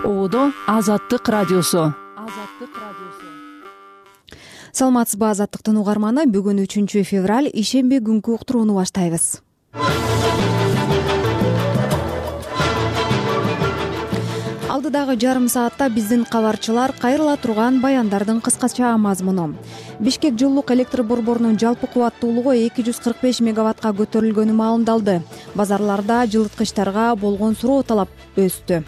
Оодо Азаттык радиосу. Саламатсызбы, Азаттыктын угарманы. Бүгүн 3 февраль ишемби күнкү уктурууну баштайбыз. Алдыдагы жарым саатта биздин кабарчылар кайрыла турган баяндардын кыскача мазмуну. Бишкек жылуулук электр борборунун жалпы кубаттуулугу 245 мегаваттка көтөрүлгөнү маалымдалды. Базарларда жылыткычтарга болгон суроо талап өстү.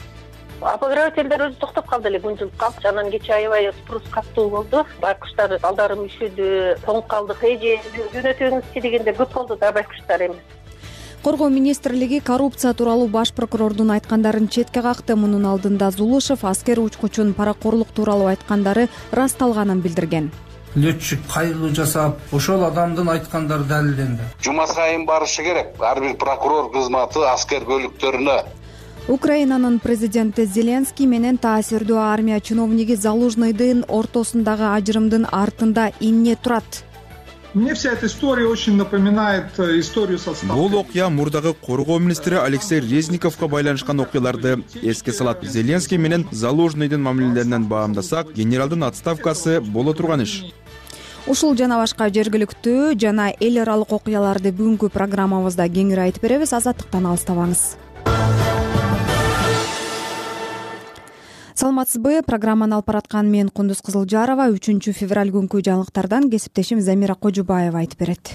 Обогревательдер өзү токтоп калды эле, күн жылып калды. Анан кечээ аябай спрус каттуу болду. Байкуштар балдарым üşүдү, тоңуп калдык. Эже жөнөтүңүзчү дегенде көп болду да байкуштар эми. Коргоо министрлиги коррупция тууралуу баш прокурордун айткандарын четке какты. Мунун алдында Зулушев аскер учкучун паракорлук тууралуу айткандары ырасталганын билдирген. Летчик кайрылуу жасап, ошол адамдын айткандары далилденди. Жума сайын барышы керек. Ар бир прокурор кызматы аскер бөлүктөрүнө. Украинанын президенти Зеленский менен таасирдүү армия чиновниги Залужныйдын ортосундагы ажырымдын артында эмне турат? Мне вся эта история очень напоминает историю со Сталиным. Бул окуя мурдагы коргоо министри Алексей Резниковго байланышкан окуяларды эске салат. Зеленский менен Залужныйдын мамилелеринен баамдасак, генералдын отставкасы боло турган иш. Ушул жана башка жергиликтүү жана эл аралык окуяларды бүгүнкү программабызда кеңири айтып беребиз. Азаттыктан алыстабаңыз. Саламатсызбы, программаны алып бараткан мен Кундуз Кызылжарова. 3 февраль күнкү жаңылыктардан кесиптешим Замира Кожубаева айтып берет.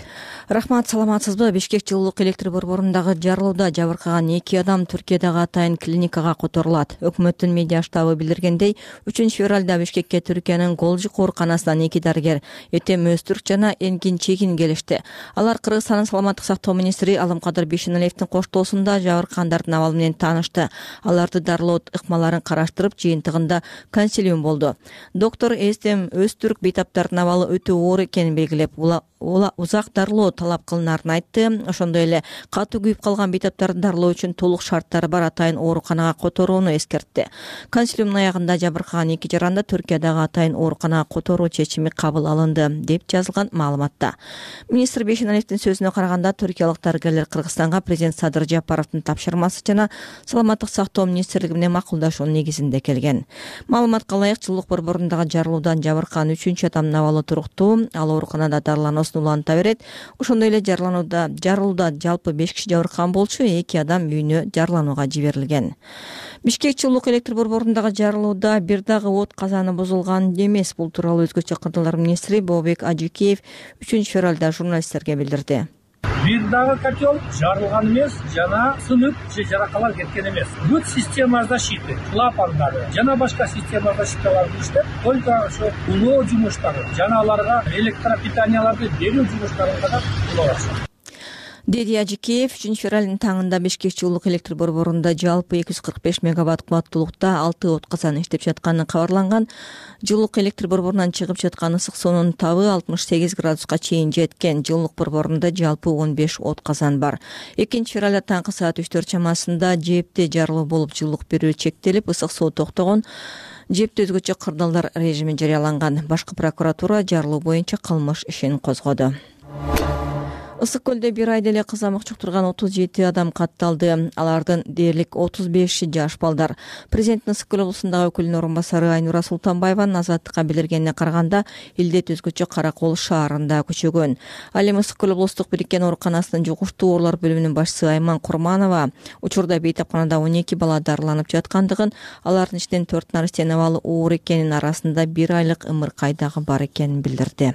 Рахмат, саламатсызбы. Бишкек жылуулук электр борборундагы жарылууда жабыркаган 2 адам Түркиядагы атайын клиникага которулат. Өкмөттүн медиа штабы билдиргендей, 3 февралда Бишкекке Түркиянын Голжук ооруканасынан 2 дарыгер Этем Өзтүрк жана Энгин Чегин келишти. Алар Кыргызстандын саламаттык сактоо министри Алымкадыр Бишеналиевдин коштоосунда жабыркагандардын абалы менен таанышты. Аларды дарылоо ыкмаларын караштырып, жыйынтыгында консилиум болду. Доктор Этем Өзтүрк бейтаптардын абалы өтө оор экенин белгилеп, узак дарылоо талап кылынарын айтты. Ошондой эле катуу күйүп калган бейтаптарды дарылоо үчүн толук шарттары бар атайын ооруканага которууну эскертти. Консилиумдун аягында жабыркаган 2 жаранды Түркиядагы атайын ооруканага которуу чечими кабыл алынды, деп жазылган маалыматта. Министр Бишеналиевдин сөзүнө караганда, түркиялык дарыгерлер Кыргызстанга президент Садыр Жапаровдун тапшырмасы жана саламаттык сактоо министрлиги менен макулдашуунун негизинде келген. Маалыматка ылайык, жылуулук борборундагы жарылуудан жабыркаган 3 адамдын абалы туруктуу. Ал ооруканада дарыланууну уланта берет. Ошондой эле жарылууда жалпы 5 киши жабыркаган болчу, 2 адам үйүнө жарыланууга жиберилген. Бишкек жылуулук электр борборундагы жарылууда бир дагы от казаны бузулган эмес. Бул тууралуу өзгөчө кырдалар министри Бообек Ажикеев 3 февралда журналисттерге билдирди. Бир дагы котел жарылган эмес, жана сынып же жаракалар кеткен эмес. Бүт система защиты, клапандары жана башка система защиталары иштеп, только ошо улоо жумуштары жана аларга электропитанияларды берүү жумуштарын гана кылабыз. Деди Ажикеев 3 февралдын таңында Бишкек жылуулук электр борборунда жалпы 245 мегаватт кубаттуулукта 6 от казан иштеп жатканы кабарланган. Жылуулук электр борборунан чыгып жаткан ысык суунун табы 68 градуска чейин жеткен. Жылуулук борборунда жалпы 15 от казан бар. 2 февралда таңкы саат 3 чамасында жепте жарылуу болуп, жылуулук берүү чектелип, ысык суу токтогон. Жепте өзгөчө кырдаалдар режими жарыяланган. Башкы прокуратура жарылуу боюнча кылмыш ишин козгоду. Ысык көлдө бир айда эле кызамык чуктурган 37 адам катталды. Алардын дээрлик 35 жаш балдар. Президенттин Ысык көл облусундагы өкүлүнүн орун басары Айнура Султанбаеванын Азаттыкка билдиргенине караганда, илдет өзгөчө Каракол шаарында көчөгөн. Ал эми Ысык көл облустук бириккен ооруканасынын жугуштуу оорулар бөлүмүнүн башчысы Айман Курманова учурда бейтапканада 12 бала дарыланып жаткандыгын, алардын ичинен 4 наристенин абалы оор экенин, арасында 1 айлык ымыркай дагы бар экенин билдирди.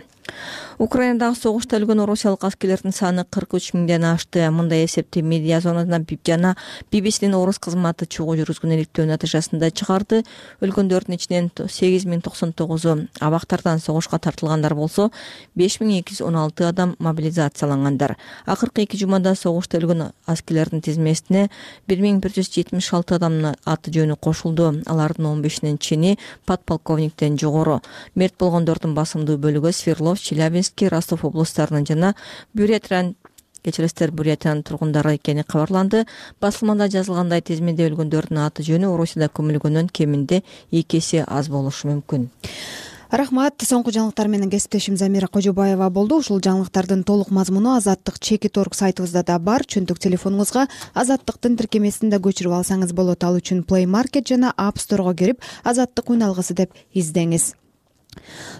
Украинадагы согушта өлгөн орусиялык аскерлердин саны 43 миңден ашты. Мындай эсепти медиа зонада жана BBC'нин орус кызматы чогуу жүргүзгөн иликтөө натыйжасында чыгарды. Өлгөндөрдүн ичинен 8099-у абактардан согушка тартылгандар болсо, 5216 адам мобилизациялангандар. Акыркы 2 жумада согушта өлгөн аскерлердин тизмесине 1176 адамдын аты жөнү кошулду. Алардын 15-нин чини подполковниктен жогору. Мерт болгондордун басымдуу бөлүгү Свердлов, Челябинский, Ростов облустарынын жана Бурятиянын тургундары экени кабарланды. Басылмада жазылгандай, тизмеде өлгөндөрдүн аты жөнү Орусияда көмүлгөндөн кеминде 2 эсе аз болушу мүмкүн. Рахмат. Соңку жаңылыктар менен кесиптешим Замира Кожобаева болду. Ушул жаңылыктардын толук мазмуну Азаттык Чекит.орг сайтыбызда да бар. Чөнтүк телефонуңузга Азаттыктын тиркемесин да көчүрүп алсаңыз болот. Ал үчүн Play Market жана App Store'га кирип Азаттык үн алгысы деп издеңиз.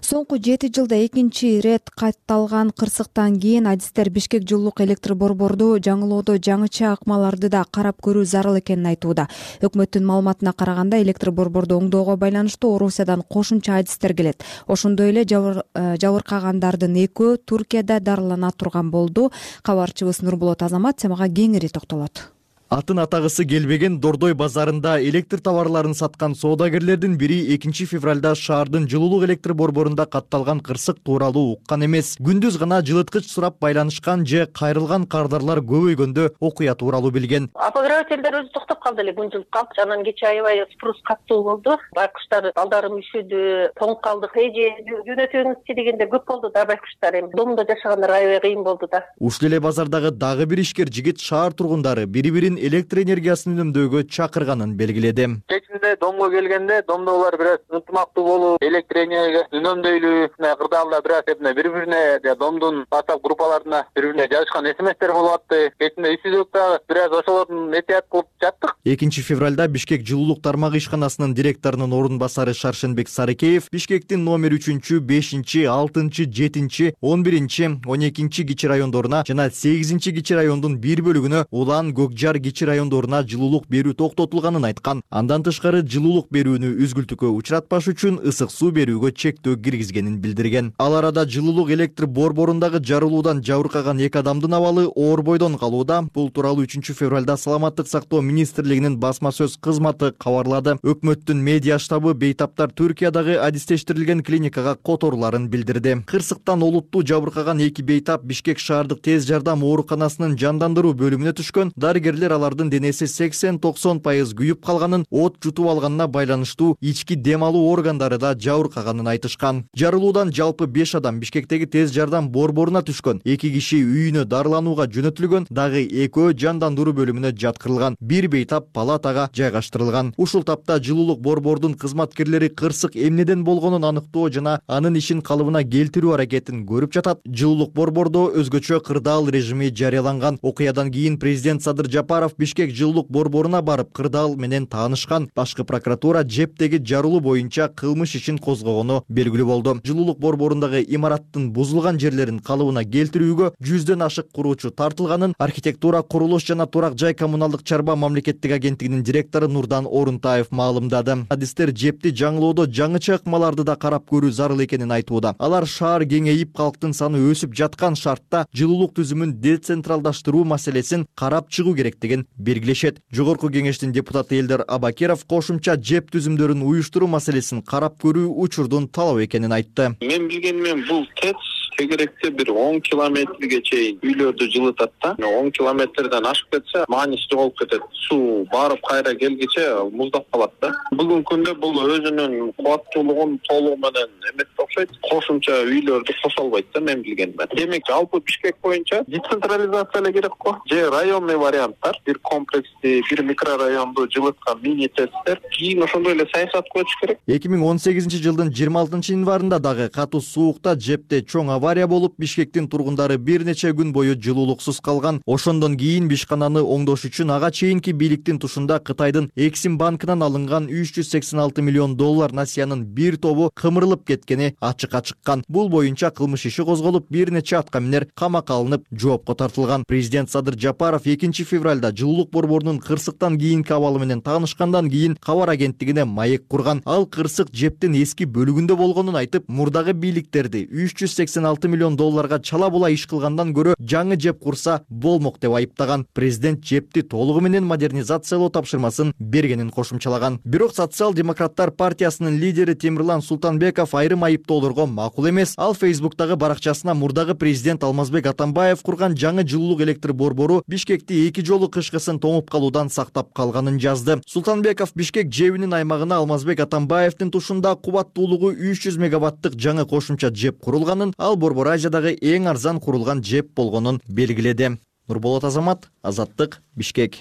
Соңку 7 жылда экинчи ирет катталган кырсыктан кийин адистер Бишкек жылуулук электр борборду жаңылоодо жаңыча акмаларды да карап көрүү зарыл экенин айтууда. Өкмөттүн маалыматына караганда электр борборду оңдоого байланыштуу Орусиядан кошумча адистер келет. Ошондой эле жабыркагандардын экөө Туркияда дарылана турган болду. Кабарчыбыз Нурболот Азамат темага кеңири токтолот. Атын атагысы келбеген Дордой базарында электр товарларын саткан соодагерлердин бири 2 февралда шаардын жылуулук электр борборунда катталган кырсык тууралуу уккан эмес. Күндүз гана жылыткыч сурап байланышкан же кайрылган кардарлар көбөйгөндө окуя тууралуу билген. Обогревательдер өзү токтоп калды эле, күнжүлүп калды. Анан кечээ аябай спрус каттуу болду. Байкуштар балдарым үшүдү, тоңуп калдык, эже жөнөтөңүзчү дегенде көп болду да байкуштар. Эми домдо жашагандар аябай кыйын болду да. Ушул эле базардагы дагы бир ишкер жигит шаар тургундары бири-бирин электр энергиясын үнөмдөөгө чакырганын белгиледи. Кечинде домго келгенде, домдо булар бир аз ынтымактуу болуп, электр энергиясын үнөмдөйлү, кырдаалда бир аз бири-бирине домдун WhatsApp группаларына бири-бирине жазышкан смстер болуп атты. Кечинде ишсиздик дагы бир аз ошолордун этият кылып жаттык. 2 февралда Бишкек жылуулук тармагы ишканасынын директорунун орун басары Шаршенбек Сарыкеев Бишкектин номер 3, 5, 6, 7, 11, 12 кичи райондоруна жана 8 кичи райондун бир бөлүгүнө Улан, Көкжар кичи райондоруна жылуулук берүү токтотулганын айткан. Андан тышкары жылуулук берүүнү үзгүлтүккө учуратпаш үчүн ысык суу берүүгө чектөө киргизгенин билдирген. Ал арада жылуулук электр борборундагы жарылуудан жабыркаган 2 адамдын абалы оор бойдон калууда. Бул тууралуу 3 февралда Саламаттык сактоо министрлигинин басма сөз кызматы кабарлады. Өкмөттүн медиа штабы бейтаптар Түркиядагы адистештирилген клиникага которуларын билдирди. Кырсыктан олуттуу жабыркаган 2 бейтап Бишкек шаардык тез жардам ооруканасынын жандандыруу бөлүмүнө түшкөн. Дарыгерлер алардын денеси 80-90% күйүп калганын, от жутуп алганына байланыштуу ички дем алуу органдары да жабыркаганын айтышкан. Жарылуудан жалпы 5 адам Бишкектеги тез жардам борборуна түшкөн. 2 киши үйүнө дарыланууга жөнөтүлгөн, дагы экөө жандандыруу бөлүмүнө жаткырылган. 1 бейтап палатага жайгаштырылган. Ушул тапта жылуулук борбордун кызматкерлери кырсык эмнеден болгонун аныктоо жана анын ишин калыбына келтирүү аракетин көрүп жатат. Жылуулук борбордо өзгөчө кырдаал режими жарыяланган. Окуядан кийин президент Садыр Жапаров Бишкек жылуулук борборуна барып кырдаал менен таанышкан. Башкы прокуратура жептеги жарылуу боюнча кылмыш ишин козгогону белгилүү болду. Жылуулук борборундагы имараттын бузулган жерлерин калыбына келтирүүгө 100дөн ашык куруучу тартылганын архитектура, курулуш жана турак жай коммуналдык чарба мамлекеттик агенттигинин директору Нурдан Орунтаев маалымдады. Адистер жепти жаңылоодо жаңыча ыкмаларды да карап көрүү зарыл экенин айтууда. Алар шаар кеңейип, калктын саны өсүп жаткан шартта жылуулук түзүмүн децентралдаштыруу маселесин карап чыгуу керектигин белгилешет. Жогорку кеңештин депутаты Элдер Абакиров кошумча жеп түзүмдөрүн уюштуруу маселесин карап көрүү учурдун талап экенин айтты. Мен билгенмен бул ТЭЦ тегеректе бир 10 километрге чейин үйлөрдү жылытат да. 10 километрден ашып кетсе, маанисиз болуп кетет. Суу барып кайра келгиче муздап калат да. Бүгүнкү күндө бул өзүнүн кубаттуулугун толугу менен эметип окшойт. Кошумча үйлөрдү кошо албайт да, мен билгенмен. Демек, жалпы Бишкек боюнча децентрализация эле керек го. Же районный варианттар, бир комплексти, бир микрорайонду жылыткан мини ТЭЦтер кийин ошондой эле саясат көчүш керек. 2018 жылдын 26 январында дагы катуу суукта жепте чоң авария болуп, Бишкектин тургундары бир нече күн бою жылуулуксуз калган. Ошондон кийин Бишкананы оңдош үчүн ага чейинки бийликтин тушунда Кытайдын Эксим банкынан алынган $386 миллион насыянын бир тобу кымырылып кеткени ачыкка чыккан. Бул боюнча кылмыш иши козголуп, бир нече аткаминер камакка алынып, жоопко тартылган. Президент Садыр Жапаров 2 февралда жылуулук борборунун кырсыктан кийинки абалы менен таанышкандан кийин кабар агенттигине маек курган. Ал кырсык жептин эски бөлүгүндө болгонун айтып, мурдагы бийликтерди $386 миллион чала була иш кылгандан көрө жаңы жеп курса болмок деп айыптаган. Президент жепти толугу менен модернизациялоо тапшырмасын бергенин кошумчалаган. Бирок социал-демократтар партиясынын лидери Темирлан Султанбеков айрым айыптоолорго макул эмес. Ал Фейсбуктагы баракчасына мурдагы президент Алмазбек Атамбаев курган жаңы жылуулук электр борбору Бишкекти 2 жолу кышкысын тоңуп калуудан сактап калганын жазды. Султанбеков Бишкек жебинин аймагына Алмазбек Атамбаевдин тушунда кубаттуулугу 300 мегаваттык жаңы кошумча жеп курулганын, ал Борбор Азиядагы эң арзан курулган жеп болгонун белгиледи. Нурболот Азамат, Азаттык, Бишкек.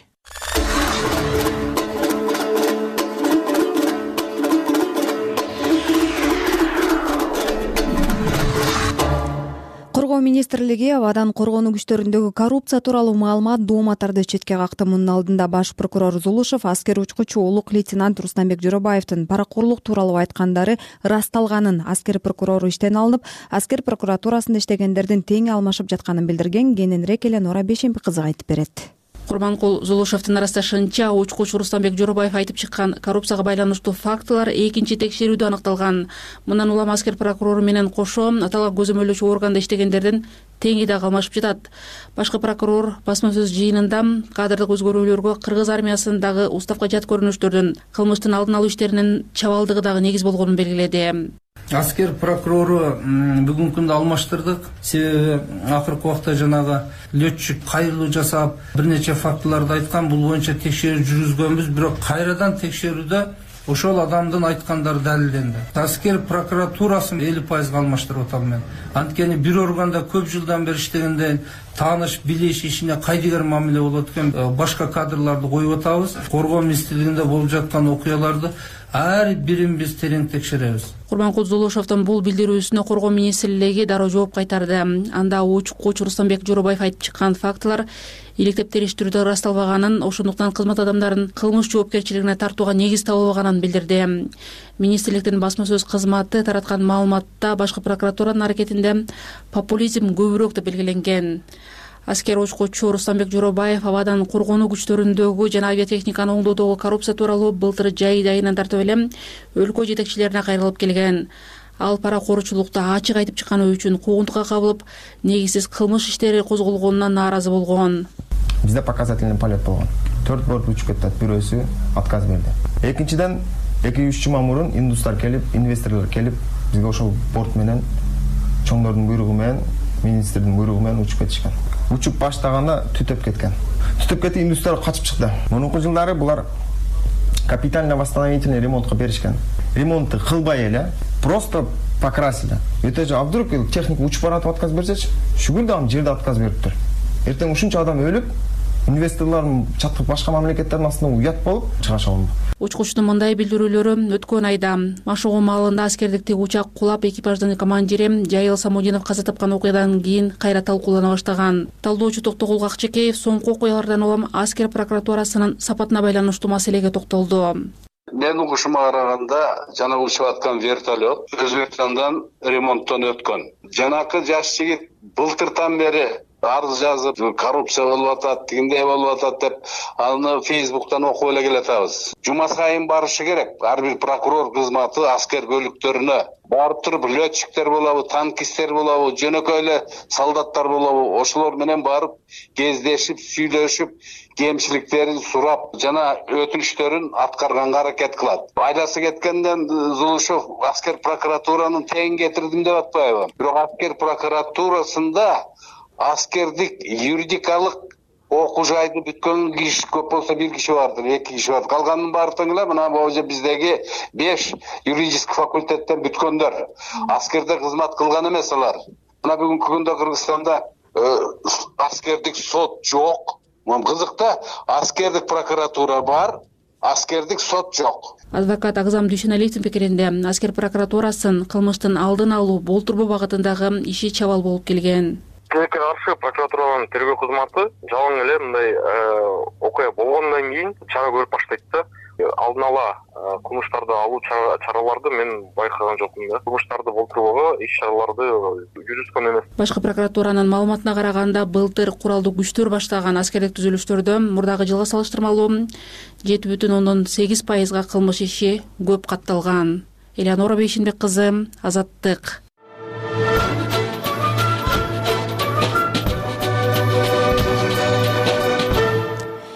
министрлиги абадан коргонуу күчтөрүндөгү коррупция тууралуу маалымат дооматтарды четке какты. Мунун алдында баш прокурор Зулушев аскер учкучу улук лейтенант Рустамбек Жоробаевдин паракурлук тууралуу айткандары ырасталганын, аскер прокурору иштен алынып, аскер прокуратурасында иштегендердин тең алмашып жатканын билдирген. Кененирээк Эленора Бейшемби кызы айтып берет. Курманкул Зулушевдин ырасташынча, учкучу Рустамбек Жоробаев айтып чыккан коррупцияга байланыштуу фактылар экинчи текшерүүдө аныкталган. Мындан улам аскер прокурору менен кошо аталган көзөмөлдөөчү органда иштегендердин теңи да калмашып жатат. Башкы прокурор басма сөз жыйынында кадрдык өзгөрүүлөргө кыргыз армиясындагы уставка жат көрүнүштөрдүн кылмыштын алдын алуу иштеринин чабалдыгы дагы негиз болгонун белгиледи. Аскер прокурору бүгүнкү күндө алмаштырдык. Себеби акыркы убакта жанагы летчик кайрылуу жасап, бир нече фактыларды айткан. Бул боюнча текшерүү жүргүзгөнбүз, бирок кайрадан текшерүүдө ошол адамдын айткандары далилденди. Аскер прокуратурасын 50% алмаштырып атам мен. Анткени бир органда көп жылдан бери иштегенде тааныш, билиш, ишине кайдыгер мамиле болот экен. Башка кадрларды коюп атабыз. Коргоо министрлигинде болуп жаткан окуяларды ар бирин биз терең текшеребиз. Курманкул Зулушевдин бул билдирүүсүнө коргоо министрлиги дароо жооп кайтарды. Анда учкучу Рустамбек Жоробаев айтып чыккан фактылар иликтеп териштирүүдө ырасталбаганын, ошондуктан кызмат адамдарын кылмыш жоопкерчилигине тартууга негиз табылбаганын билдирди. Министрликтин басма сөз кызматы тараткан маалыматта башкы прокуратуранын аракетинде популизм көбүрөөк деп белгиленген. Аскер учкучу Рустамбек Жоробаев абадан коргонуу күчтөрүндөгү жана авиатехниканы оңдоодогу коррупция тууралуу былтыр жай айынан тартып эле өлкө жетекчилерине кайрылып келген. Ал паракорчулукту ачык айтып чыкканы үчүн куугунтукка кабылып, негизсиз кылмыш иштери козголгонуна нааразы болгон. Бизде показательный полет болгон. 4 борт учуп кетет, бирөөсү отказ берди. Экинчиден 2-3 жума мурун индустар келип, инвесторлор келип, бизге ошол борт менен чоңдордун буйругу менен, министрдин буйругу менен учуп кетишкен. Учуп баштаганда түтөп кеткен. Түтөп кетип индустар качып чыкты. Мурунку жылдары булар капитально восстановительный ремонтко беришкен. Ремонтты кылбай эле, просто покрасили. Өтө а вдруг техника учуп баратып отказ берсечи, шүгүл да жерде отказ бериптир. Эртең ушунча адам өлүп, инвесторлордун чаткы башка мамлекеттердин астына уят болуп чыгаша алынды. Учкучтун мындай билдирүүлөрү өткөн айда Машогу маалында аскердикти учак кулап экипаждын командири Жайыл Самудинов каза тапкан окуядан кийин кайра талкуулана баштаган. Талдоочу Токтогул Акчекеев соңку окуялардан улам аскер прокуратурасынын сапатына байланыштуу маселеге токтолду. Мен угушума караганда жана учуп аткан вертолет Өзбекстандан ремонттон өткөн. Жанакы жаш жигит былтыртан бери арыз жазып, коррупция болуп атат, тигиндей болуп атат деп, аны Facebook'tan окуп эле келатабыз. Жума сайын барышы керек. Ар бир прокурор кызматы аскер бөлүктөрүнө барып туруп, летчиктер болобу, танкисттер болобу, жөнөкөй эле солдаттар болобу, ошолор менен барып кездешип, сүйлөшүп, кемчиликтерин сурап, жана өтүнүштөрүн аткарганга аракет кылат. Айласы кеткенден Зулушев аскер прокуратуранын тең кетирдим деп атпайбы? Бирок аскер прокуратурасында аскердик юридикалык окуу жайды бүткөн киши көп болсо бир киши бардыр, 2 киши бар. Калганын баары тең эле мына божо биздеги 5 юридический факультеттен бүткөндөр. Аскерде кызмат кылган эмес алар. Мына бүгүнкү күндө Кыргызстанда аскердик сот жок. Кызык да, аскердик прокуратура бар, аскердик сот жок. Адвокат Агзам Дүйшеналиевдин пикиринде аскер прокуратурасын кылмыштын алдын алуу, болтурбоо багытындагы иши чабал болуп келген. Тилекке каршы прокуратуранын тергөө кызматы жалаң эле мындай окуя болгондон кийин чара көрүп баштайт да. Алдын ала кылмыштарды алуу чараларды мен байкаган жокмун да. Кылмыштарды болтурбоого иш-чараларды жүргүзгөн эмес. Башкы прокуратуранын маалыматына караганда, былтыр куралдуу күчтөр баштаган аскердик түзүлүштөрдө мурдагы жылга салыштырмалуу 7,8% кылмыш иши көп катталган. Эленора Бейшемби кызы, Азаттык.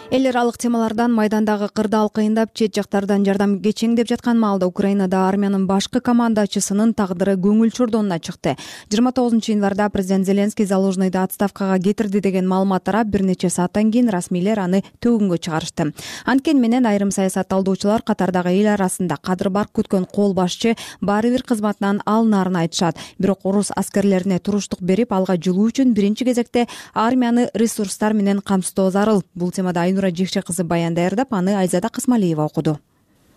Эл аралык темалардан майдандагы кырдаал кыйындап, чет жактардан жардам кечеңдеп жаткан маалда Украинада армиянын башкы командачысынын тагдыры көңүл чордонуна чыкты. 29-январда президент Зеленский Залужныйды отставкага кетирди деген маалымат тарап, бир нече сааттан кийин расмийлер аны төгүнгө чыгарышты. Анткени менен айрым саясатталдоочулар катардагы эл арасында кадыр бар күткөн кол башчы баары бир кызматынан алынаарын айтышат. Бирок орус аскерлерине туруштук берип, алга жылуу үчүн биринчи кезекте армияны ресурстар менен камсыздоо зарыл. Бул темада Айнура Жекше кызы баян даярдап, аны Айзада Кысмалиева окуду.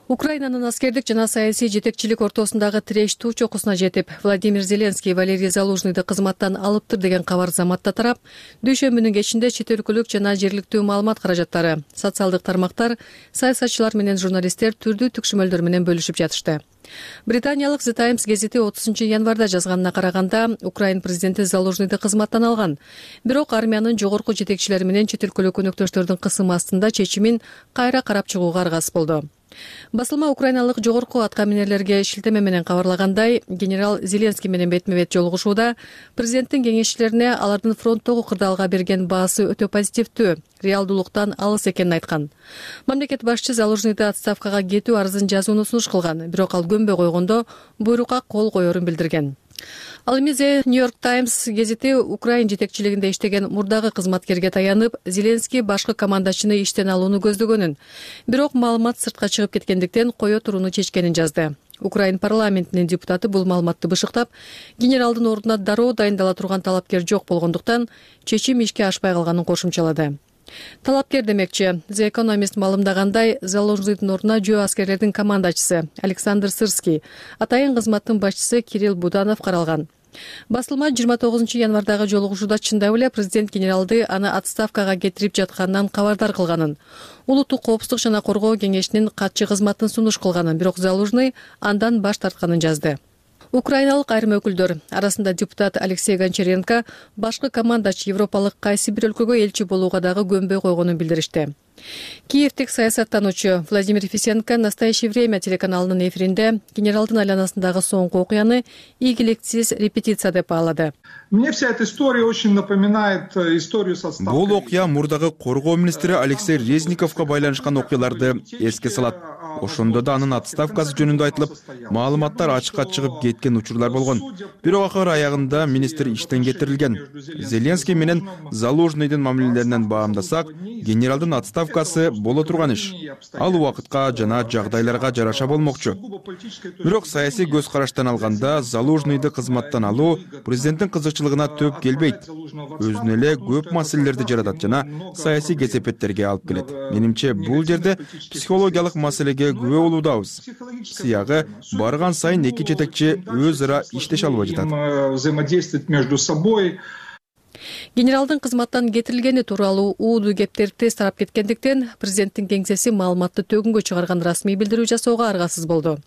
Украинанын аскердик жана саясий жетекчилик ортосундагы тиреш туу чокусуна жетип, Владимир Зеленский Валерий Залужныйды кызматтан алыптыр деген кабар заматта тарап, дүйшөмбүнүн кечинде чет өлкөлүк жана жергиликтүү маалымат каражаттары, социалдык тармактар, саясатчылар менен журналисттер түрдүү түкшүмөлдөр менен бөлүшүп жатышты. Британиялык The Times гезити 30 январда жазганына караганда, Украин президенти Залужныйды кызматтан алган. Бирок армиянын жогорку жетекчилери менен чет өлкөлүк өнөктөштөрдүн кысымы астында чечимин кайра карап чыгууга аргасыз болду. Басылма украиналык жогорку аткаминерлерге шилтеме менен кабарлагандай, генерал Зеленский менен бетме-бет жолугушууда президенттин кеңешчилерине алардын фронттогу кырдаалга берген баасы өтө позитивдүү, реалдуулуктан алыс экенин айткан. Мамлекет башчы Залужныйды отставкага кетүү арызын жазууну сунуш кылган, бирок ал көнбөй койгондо буйрукка кол коерун билдирген. Ал эми The New York Times гезити Украин жетекчилигинде иштеген мурдагы кызматкерге таянып, Зеленский башкы командачыны иштен алууну көздөгөнүн, бирок маалымат сыртка чыгып кеткендиктен кое турууну чечкенин жазды. Украин парламентинин депутаты бул маалыматты бышыктап, генералдын ордуна дароо дайындала турган талапкер жок болгондуктан чечим ишке ашпай калганын кошумчалады. Талапкер демекчи, The Economist маалымдагандай, Залужныйдын ордуна жөө аскерлердин командачысы Александр Сырский, атайын кызматтын башчысы Кирилл Буданов каралган. Басылма 29 январдагы жолугушууда чындап эле президент генералды аны отставкага кетирип жатканынан кабардар кылганын, улуттук коопсуздук жана коргоо кеңешинин катчы кызматын сунуш кылганын, бирок Залужный андан баш тартканын жазды. Украиналык айрым өкүлдөр, арасында депутат Алексей Гончаренко, башкы командач европалык кайсы бир өлкөгө элчи болууга дагы көнбөй койгонун билдиришти. Киевтик саясаттануучу Владимир Фисенко «Настоящее время» телеканалынын эфиринде генералдын айланасындагы соңку окуяны ийгиликтсиз репетиция деп баалады. Мне вся эта история очень напоминает историю со отставкой. Бул окуя мурдагы коргоо министри Алексей Резниковго байланышкан окуяларды эске салат. Ошондо да анын отставкасы жөнүндө айтылып, маалыматтар ачыкка чыгып кеткен учурлар болгон. Бирок акыр аягында министр иштен кетирилген. Зеленский менен Залужныйдын мамилелеринен баамдасак, генералдын отставкасы боло турган иш. Ал убакытка жана жагдайларга жараша болмокчу. Бирок саясий көз караштан алганда, Залужныйды кызматтан алуу президенттин кызыкчылыгына төп келбейт. Өзүнө эле көп маселелерди жаратат жана саясий кесепеттерге алып келет. Менимче бул жерде психологиялык маселеге күбө болуудабыз. Сыягы барган сайын эки жетекчи өз ара иштеше албай жатат. Взаимодействовать между собой. Генералдын кызматтан кетирилгени тууралуу уудуу кептер тез тарап кеткендиктен, президенттин кеңсеси маалыматты төгүнгө чыгарган расмий билдирүү жасоого аргасыз болду.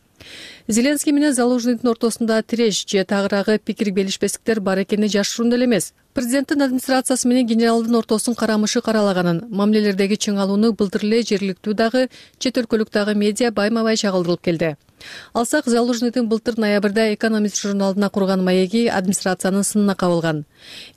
Зеленский менен Залужныйдын ортосунда тиреш же тагыраагы пикир белишпестиктер бар экени жашыруун деле эмес. Президенттин администрациясы менен генералдын ортосун карамышы каралаганын, мамилелердеги чыңалууну былтыр эле жергиликтүү дагы, чет өлкөлүк дагы медиа байма-бай чагылдырылып келди. Алсак, Залужныйдын былтыр ноябрда Экономист журналына курган маеги администрациянын сынына кабылган.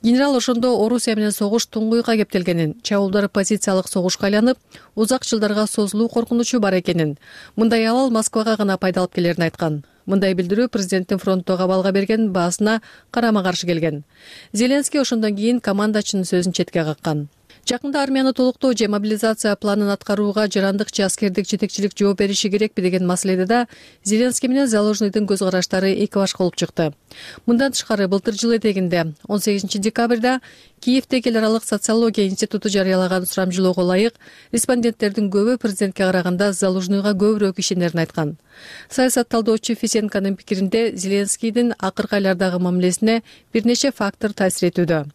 Генерал ошондо Орусия менен согуш туңгуйга кептелгенин, чабуулдар позициялык согушка айланып, узак жылдарга созулуу коркунучу бар экенин, мындай абал Москвага гана пайдалып келерин айткан. Мындай билдирүү президенттин фронттогу абалга берген баасына карама-каршы келген. Зеленский ошондон кийин командачынын сөзүн четке каккан. Жакында армияны толуктоо же мобилизация планын аткарууга жарандык же аскердик жетекчилик жооп бериши керекпи деген маселеде да Зеленский менен Залужныйдын көз караштары эки башка болуп чыкты. Мындан тышкары былтыр жыл этегинде 18 декабрда Киевдеги эл аралык социология институту жарыялаган сурамжылоого ылайык респонденттердин көбү президентке караганда Залужныйга көбүрөөк ишенерин айткан. Саясат талдоочу Фисенконун пикиринде Зеленскийдин акыркы айлардагы мамилесине бир нече фактор таасир этүүдө.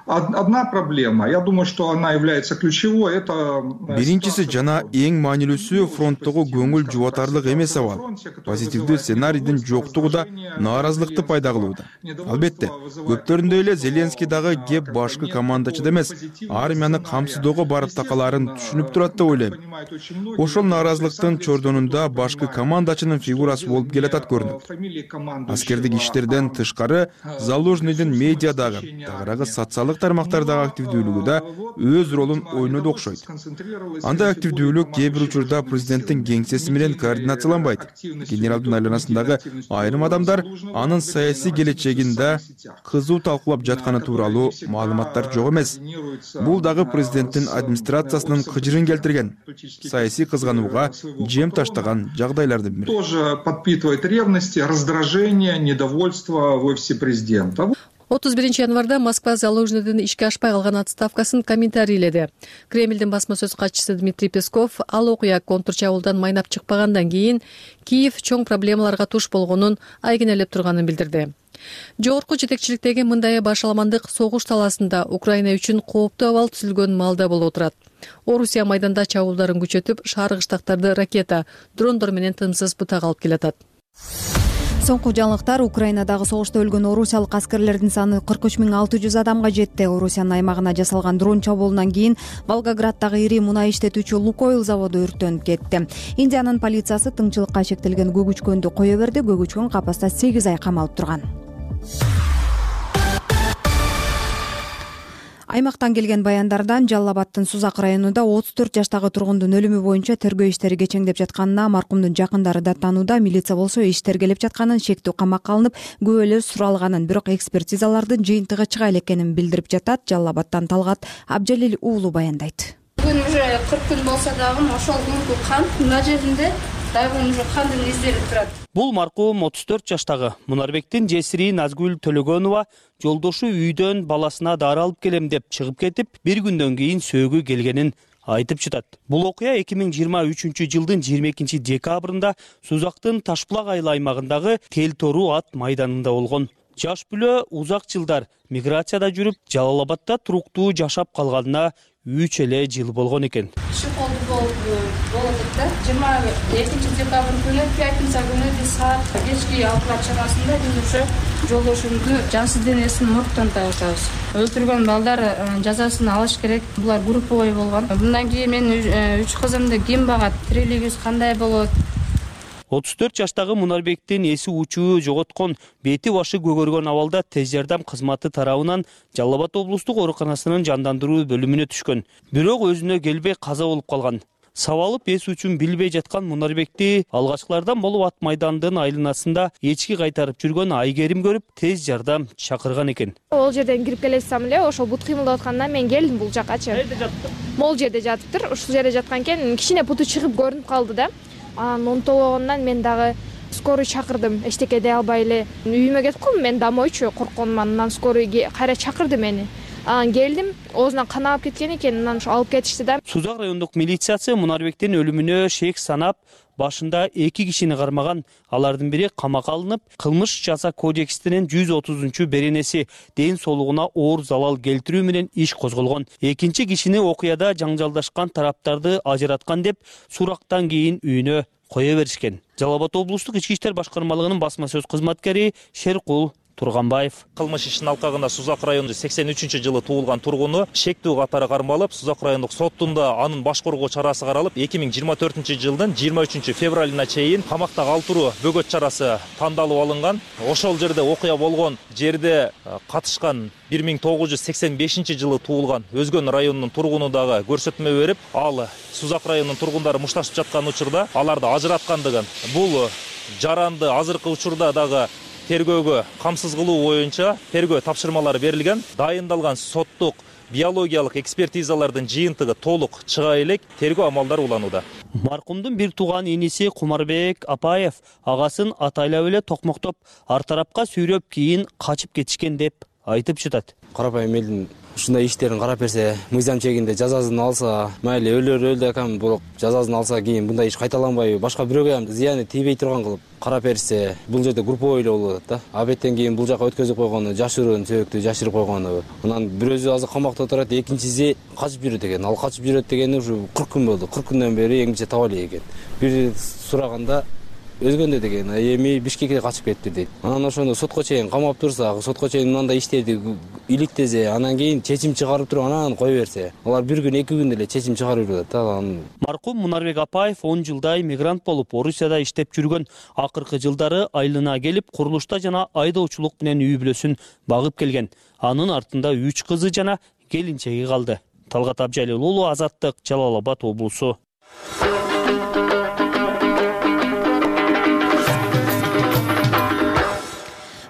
Одна проблема, я думаю, что она является ключевой, это... Биринчиси жана эң маанилүүсү фронттогу көңүл жубатарлык эмес абал. Позитивдүү сценарийдин жоктугу да нааразылыкты пайда кылууда. Албетте, көптөрүндөй эле Зеленский дагы кеп башкы командачыда эмес, армияны камсыздоого барып такалаарын түшүнүп турат деп ойлойм. Ошол нааразылыктын чордонунда башкы командачынын фигурасы болуп келатат көрүнөт. Аскердик иштерден тышкары Залужныйдын медиадагы, тагыраагы социалдык тармактардагы активдүүлүгү да өз ролун ойноду окшойт. Андай активдүүлүк кээ бир учурда президенттин кеңсеси менен координацияланбайт. Генералдын айланасындагы айрым адамдар анын саясий келечегин да кызуу талкуулап жатканы тууралуу маалыматтар жок эмес. Бул дагы президенттин администрациясынын кыжырын келтирген, саясий кызганууга жем таштаган жагдайлардын бири. Тоже подпитывает ревности, раздражение, недовольство в офисе президента. 31 январда Москва Залужныйдын ишке ашпай калган отставкасын комментарийледи. Кремлдин басма сөз катчысы Дмитрий Песков ал окуя контрчабуулдан майнап чыкпагандан кийин Киев чоң проблемаларга туш болгонун айгинелеп турганын билдирди. Жогорку жетекчиликтеги мындай башаламандык согуш талаасында Украина үчүн кооптуу абал түзүлгөн маалда болуп турат. Орусия майданда чабуулдарын күчөтүп, шаар кыштактарды ракета, дрондор менен тынымсыз бутак алып келатат. Соңку жаңылыктар: Украинадагы согушта өлгөн орусиялык аскерлердин саны 43.600 адамга жетти. Орусиянын аймагына жасалган дрон чабуулунан кийин Волгограддагы ири мунай иштетүүчү Лукойл заводу өрттөнүп кетти. Индиянын полициясы тыңчылыкка чектелген көгүчкөндү кое берди. Көгүчкөн капаста 8 ай камалып турган. Аймактан келген баяндардан Жалал Абадтын Сузак районунда 34 жаштагы тургундун өлүмү боюнча тергөө иштери кечеңдеп жатканына маркумдун жакындары даттанууда. Милиция болсо иш тергелеп жатканын, шектүү камакка алынып, күбөлөр суралганын, бирок экспертизалардын жыйынтыгы чыга элекенин билдирип жатат. Жалал Абадтан Талгат Абжалил уулу баяндайт. Бүгүн уже 40 күн болсо дагы ошол күнкү кан мына жеринде дагы уже кандын издери турат. Бул маркум 34 жаштагы Мунарбектин жесири Назгүл Төлөгөнова жолдошу үйдөн баласына дары алып келем деп чыгып кетип, бир күндөн кийин сөөгү келгенин айтып жатат. Бул окуя 2023 жылдын 22 декабрында Сузактын Ташбулак айыл аймагындагы Тел-Тору ат майданында болгон. Жаш бүлө узак жылдар миграцияда жүрүп, Жалал Абадта туруктуу жашап калганына 3 эле жыл болгон экен. Шыколду болдук да 22 декабрь күнү, пятница күнү биз саат кечки 6 чамасында биз уже жолдошумду жансыз денесин моргтон табабыз. Өлтүргөн балдар жазасын алыш керек. Булар групповой болгон. Мындан кийин мен 3 кызымды ким багат, тирилигибиз кандай болот? 34 жаштагы Мунарбектин эси учуу жоготкон, бети башы көгөргөн абалда тез жардам кызматы тарабынан Жалал Абад облустук ооруканасынын жандандыруу бөлүмүнө түшкөн. Бирок өзүнө келбей каза болуп калган. Сабалып эс үчүн билбей жаткан Мунарбекти алгачкылардан болуп ат майдандын айланасында эчки кайтарып жүргөн Айгерим көрүп, тез жардам чакырган экен. Ол жерден кирип келесем эле, ошол бут кыймылдап атканда мен келдим бул жакачы. Кайда жатты? Могул жерде жатыптыр. Ушул жерде жаткан экен, кичине буту чыгып көрүнүп калды да. Анан онтологондон мен дагы скорый чакырдым. Эчтеке дей албай эле үйүмө кетип калдым. Мен дамойчу коркконуман. Анан скорый кайра чакырды мени. Анан келдим, оозунан кан агып кеткен экен. Анан ошо алып кетишти да. Сузак райондук милициясы Мунарбектин өлүмүнө шек санап, башында 2 кишини кармаган. Алардын бири камакка алынып, кылмыш жаза кодексинин 130 беренеси ден соолугуна оор залал келтирүү менен иш козголгон. Экинчи кишини окуяда жаңжалдашкан тараптарды ажыраткан деп сурактан кийин үйүнө кое беришкен. Жалал Абад облустук ички иштер башкармалыгынын басма сөз кызматкери Шеркул Турганбаев. Кылмыш ишинин алкагында Сузак району 83-жылы туулган тургуну шектүү катары кармалып, Сузак райондук соттунда анын баш коргоо чарасы каралып, 2024-жылдын 23 февралына чейин камакта калтыруу бөгөт чарасы тандалып алынган. Ошол жерде окуя болгон жерде катышкан 1985-жылы туулган Өзгөн районунун тургуну дагы көрсөтмө берип, ал Сузак районунун тургундары мушташып жаткан учурда аларды ажыраткандыгын, бул жаранды азыркы учурда дагы тергөөгө камсыз кылуу боюнча тергөө тапшырмалары берилген. Дайындалган соттук биологиялык экспертизалардын жыйынтыгы толук чыга элек, тергөө амалдары уланууда. Маркумдун бир тууган иниси Кумарбек Апаев агасын атайлап эле токмоктоп, ар тарапка сүйрөп кийин качып кетишкен деп айтып жатат. Карапайым элдин ушундай иштерин карап берсе, мыйзам чегинде жазасын алса, майли өлдү экем, бирок жазасын алса кийин мындай иш кайталанбайбы, башка бирөөгө ham зыяны тийбей турган кылып карап берсе, бул жерде групповой эле болуп атат да. Абеттен кийин бул жака өткөзүп койгону, жашыруун сөбөктү жашырып койгону. Анан бирөөсү азыр камакта турат, экинчиси качып жүрөт экен. Ал качып жүрөт дегени ушу 40 күн болду. 40 күндөн бери эң биринчи таба элек экен. Бир сураганда өзгөндө деген эми Бишкекке качып кетти дейт. Анан ошону сотко чейин камап турса, сотко чейин мындай иштерди иликтесе, анан кийин чечим чыгарып туруп анан кое берсе, алар бир күн, 2 күндө эле чечим чыгарып жатат да. Маркум Мунарбек Апаев 10 жылдай мигрант болуп, Орусияда иштеп жүргөн. Акыркы жылдары айылына келип, курулушта жана айдоочулук менен үй бүлөсүн багып келген. Анын артында 3 кызы жана келинчеги калды. Талгат Абжалил уулу, Азаттык, Жалал Абад облусу.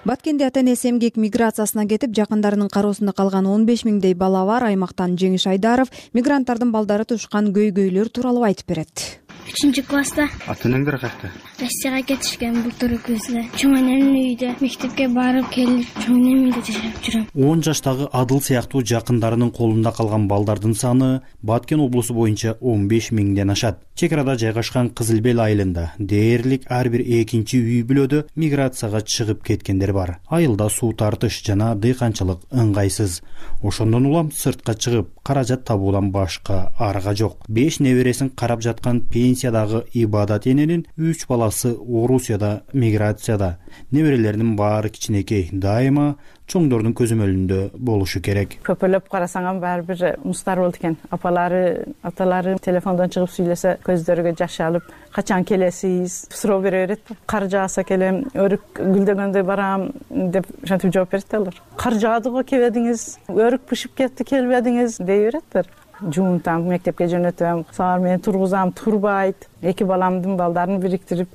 Баткенде ата-энеси эмгек миграциясына кетип, жакындарынын кароосунда калган 15 миңдей бала бар. Аймактан Жеңиш Айдаров мигранттардын балдары тушкан көйгөйлөр тууралуу айтып берет. 3 класста. Ата энеңдер кайякта? Россияга кетишкен былтыр күзүнө. Чоң энемдин үйүндө мектепке барып келип, чоң энемдин үйүндө жашап жүрөм. 10 жаштагы Адыл сыяктуу жакындарынын колунда калган балдардын саны Баткен облусу боюнча 15 миңден ашат. Чек арада жайгашкан Кызыл Бел айылында дээрлик ар бир экинчи үй бүлөдө миграцияга чыгып кеткендер бар. Айылда суу тартыш жана дыйканчылык ыңгайсыз. Ошондон улам сыртка чыгып каражат табуудан башка арга жок. 5 небересин карап жаткан пенсиядагы Ибадат эненин 3 баласы Орусияда миграцияда. Неберелеринин баары кичинекей, дайыма чоңдордун көзөмөлүндө болушу керек. Көпөлөп карасаң баары бир мустар болду экен. Апалары, аталары телефондон чыгып сүйлөсө көздөрүгө жаш алып, качан келесиз? Суроо бере берет. Кар жааса келем, өрүк гүлдөгөндө барам деп шантип жооп берет алар. Кар жаады го келбедиңиз, өрүк бышып кетти келбедиңиз дей береттер. Жуунтам, мектепке жөнөтөм, саар менен тургузам, турбайт. 2 баламдын балдарын бириктирип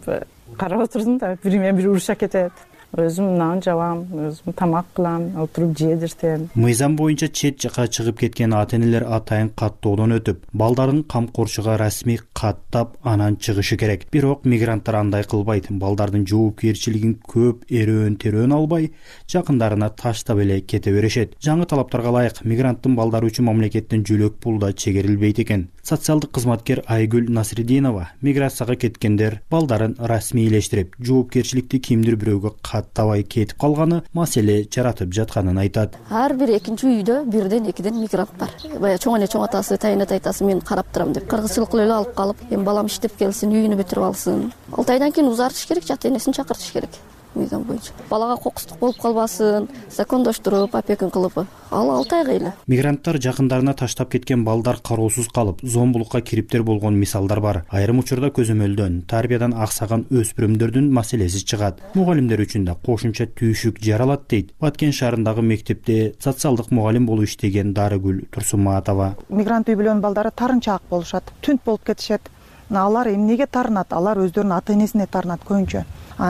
карап отурдум да, бири менен бири уруша кетет. Өзүм нан жабам, өзүм тамак кылам, отуруп жедиртем. Мыйзам боюнча чет жака чыгып кеткен ата-энелер атайын каттоодон өтүп, балдарын камкорчуга расмий каттап анан чыгышы керек. Бирок мигранттар андай кылбайт. Балдардын жоопкерчилигин көп эрөөн-терөөн албай, жакындарына таштап эле кете беришет. Жаңы талаптарга ылайык мигранттын балдары үчүн мамлекеттин жөлөк пулу да чегерилбейт экен. Социалдык кызматкер Айгүл Насридинова миграцияга кеткендер балдарын расмийлештирип, жоопкерчиликти кимдир бирөөгө каттабай кетип калганы маселе жаратып жатканын айтат. Ар бир экинчи үйдө бирден экиден мигрант бар. Бая чоң эне чоң атасы, тайына тайтасы мен карап турам деп кыргызчылык эле алып калып, эми балам иштеп келсин, үйүнү бүтүрүп алсын. 6 айдан кийин узартыш керек, ата энесин чакыртыш керек. Мыйзам боюнча балага кокустук болуп калбасын, закондоштуруп, опекун кылып, ал 6 айга эле. Мигранттар жакындарына таштап кеткен балдар кароосуз калып, зомбулукка кириптер болгон мисалдар бар. Айрым учурда көзөмөлдөн, тарбиядан аксаган өспүрүмдөрдүн маселеси чыгат. Мугалимдер үчүн да кошумча түйшүк жаралат дейт Баткен шаарындагы мектепте социалдык мугалим болуп иштеген Дарыгүл Турсуматова. Мигрант үй бүлөнүн балдары тарынчаак болушат, түнт болуп кетишет. Алар эмнеге тарынат? Алар өздөрүнүн ата энесине тарынат көбүнчө.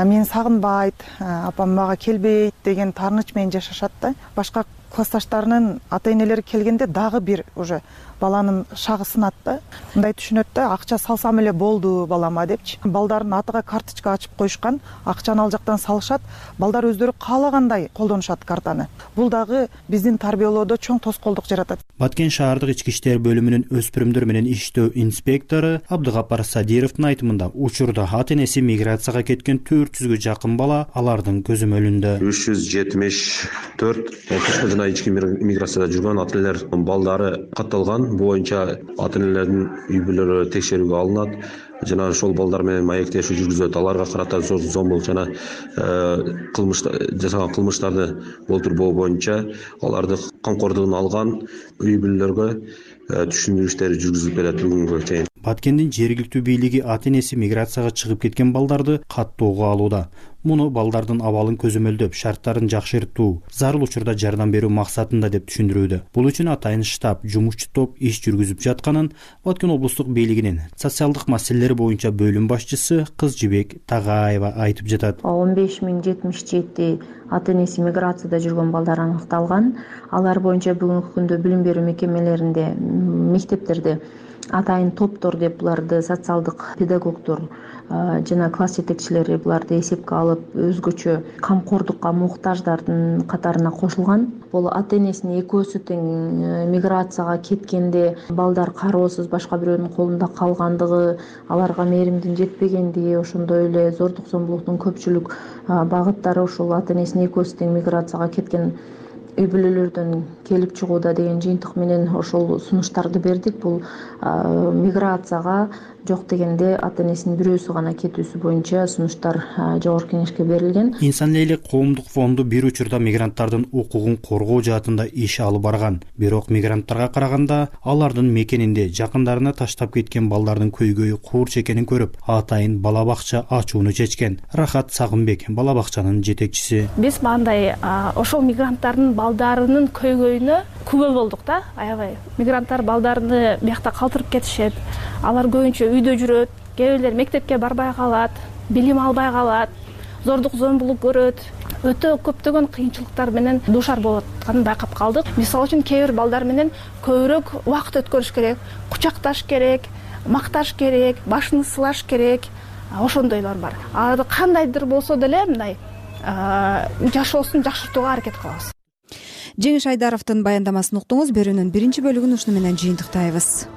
Мен сагынбайт, апам мага келбейт деген тарыныч менен жашашат да. Башка классташтарынын ата энелери келгенде дагы бир уже баланын шагы сынат да. Мындай түшүнөт да, акча салсам эле болду балама депчи. Балдарын атыга карточка ачып коюшкан, акчаны ал жактан салышат, балдар өздөрү каалагандай колдонушат картаны. Бул дагы биздин тарбиялоодо чоң тоскоолдук жаратат. Баткен шаардык ички иштер бөлүмүнүн өспүрүмдөр менен иштөө инспектору Абдыгапар Садировдун айтымында учурда ата энеси миграцияга кеткен 400гө жакын бала алардын көзөмөлүндө. 374 тышкы жана ички миграцияда жүргөн ата энелер балдары катталган. Боюнча ата энелердин үй бүлөлөрү текшерүүгө алынат жана ошол балдар менен маектешүү жүргүзүлөт. Аларга карата зомбулук жана жасаган кылмыштарды болтурбоо боюнча аларды камкордугуна алган үй бүлөлөргө түшүндүрүү иштери жүргүзүлүп келет бүгүнгө чейин. Баткендин жергиликтүү бийлиги ата энеси миграцияга чыгып кеткен балдарды каттоого алууда. Муну балдардын абалын көзөмөлдөп, шарттарын жакшыртуу, зарыл учурда жардам берүү максатында деп түшүндүрүүдө. Бул үчүн атайын штаб, жумушчу топ иш жүргүзүп жатканын Баткен облустук бийлигинин социалдык маселелер боюнча бөлүм башчысы Кызжыбек Тагаева айтып жатат. 15077 ата энеси миграцияда жүргөн балдар аныкталган. Алар боюнча бүгүнкү күндө билим берүү мекемелеринде, мектептерде атайын топтор деп буларды социалдык педагогдор жана класс жетекчилери буларды эсепке алып, өзгөчө камкордукка муктаждардын катарына кошулган. Бул ата энесинин экөөсү тең миграцияга кеткенде балдар кароосуз башка бирөөнүн колунда калгандыгы, аларга мээримдин жетпегендиги, ошондой эле зордук зомбулуктун көпчүлүк багыттары ушул ата энесинин экөөсү тең миграцияга кеткен үй бүлөлөрдөн келип чыгууда деген жыйынтык менен ошол сунуштарды бердик. Бул миграцияга жок дегенде ата энесинин бирөөсү гана кетүүсү боюнча сунуштар жогорку кеңешке берилген. Инсан эле коомдук фонду бир учурда мигранттардын укугун коргоо жаатында иш алып барган. Бирок мигранттарга караганда алардын мекенинде жакындарына таштап кеткен балдардын көйгөйү курч экенин көрүп, атайын бала бакча ачууну чечкен. Рахат Сагынбек бала бакчанын жетекчиси. Биз мындай ошол мигранттардын балдарынын көйгөйүнө күбө болдук да. Аябай мигранттар балдарыны биякта калтырып кетишет. Алар көбүнчө үйдө жүрөт, кээ бирлер мектепке барбай калат, билим албай калат, зордук зомбулук көрөт. Өтө көптөгөн кыйынчылыктар менен дуушар болуп атканын байкап калдык. Мисалы үчүн кээ бир балдар менен көбүрөөк убакыт өткөрүш керек, кучакташ керек, макташ керек, башын сылаш керек, ошондойлор бар. Кандайдыр болсо деле мындай жашоосун жакшыртууга аракет кылабыз. Жеңиш Айдаровдун баяндамасын уктуңуз. Берүүнүн биринчи бөлүгүн ушуну менен жыйынтыктайбыз.